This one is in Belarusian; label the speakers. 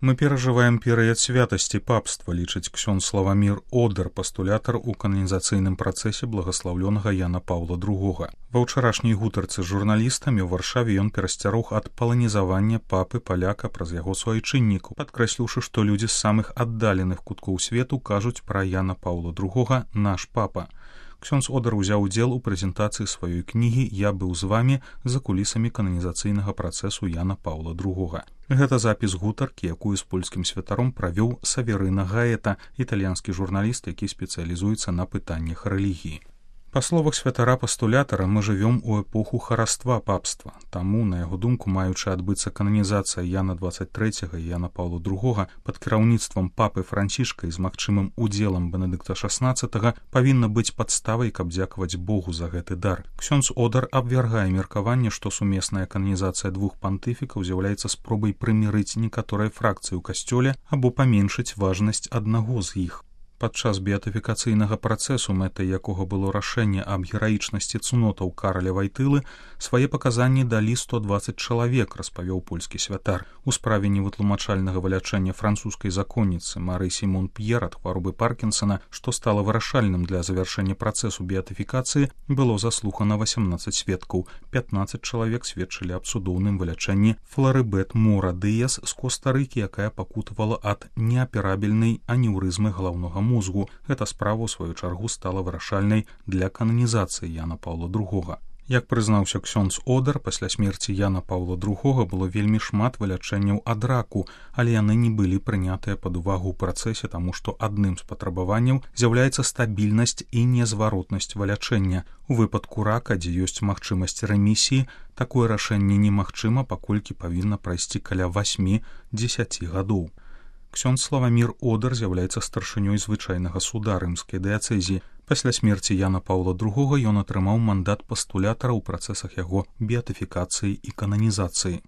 Speaker 1: Мы перажываем перыяд святасці папства, лічыць ксёндз Славамір Одар, пастулятар у кананізацыйным працэсе благаслаўлёнага Яна Паўла II. Ва ўчарашняй гутарцы з журналістамі ў Варшаве ён перасцярог ад паланізавання папы паляка праз яго суайчыннікаў, падкрэсліўшы, што людзі з самых аддаленых куткоў свету кажуць пра Яна Паўла II «наш папа». Ксёндз Одар узяў удзел у прэзентацыі сваёй кнігі «Я быў з вамі» за кулісамі кананізацыйнага працэсу Яна Паўла II. Гэта запіс гутаркі, якую з польскім святаром правёў Саверына Гаэта, італьянскі журналіст, які спецыялізуецца на пытаннях рэлігіі. Па словах святара-пастулятара, мы жывём у эпоху хараства папства. Таму, на яго думку, маючы адбыцца кананізацыя Яна 23 і Яна Паўла II пад кіраўніцтвам папы Францішка і з магчымым удзелам Бенедыкта XVI, павінна быць падставай, каб дзякаваць Богу за гэты дар. Ксёндз Одар абвяргае меркаванне, што сумесная кананізацыя двух пантыфікаў з'яўляецца спробай прымірыць некаторыя фракцыі ў касцёле або паменшыць важнасць аднаго з іх. Падчас беатыфікацыйнага працэсу, мэтай якога было рашэнне аб гераічнасці цнотаў Караля Вайтылы, свае паказанні далі 120 чалавек, распавёў польскі святар. У справе невытлумачальнага вылячэння французскай законніцы Мары Сімон П'ер ад хваробы Паркінсона, што стала вырашальным для завяршэння працэсу беатыфікацыі, было заслухана 18 сведкаў. 15 чалавек сведчылі аб цудоўным вылячэнні Фларыбет Мора Дыяс з Коста-Рыкі, якая пакутавала ад неаперабельнай анеўрызмы галаўнога мозгу. Эта справа, у сваю чаргу, стала вырашальнай для кананізацыі Яна Паўла II. Як прызнаўся ксёндз Одар, пасля смерці Яна Паўла II было вельмі шмат вылячэнняў ад раку, але яны не былі прынятыя пад увагу ў працэсе, таму што адным з патрабаванняў з'яўляецца стабільнасць і незваротнасць вылячэння. У выпадку рака, дзе ёсць магчымасць рэмісіі, такое рашэнне немагчыма, паколькі павінна прайсці каля 8-10 гадоў. Ксёндз Славамір Одар з'яўляецца старшынёй звычайнага суда рымскай дыяцэзіі. Пасля смерці Яна Паўла II ён атрымаў мандат пастулятара ў працэсах яго беатыфікацыі і кананізацыі.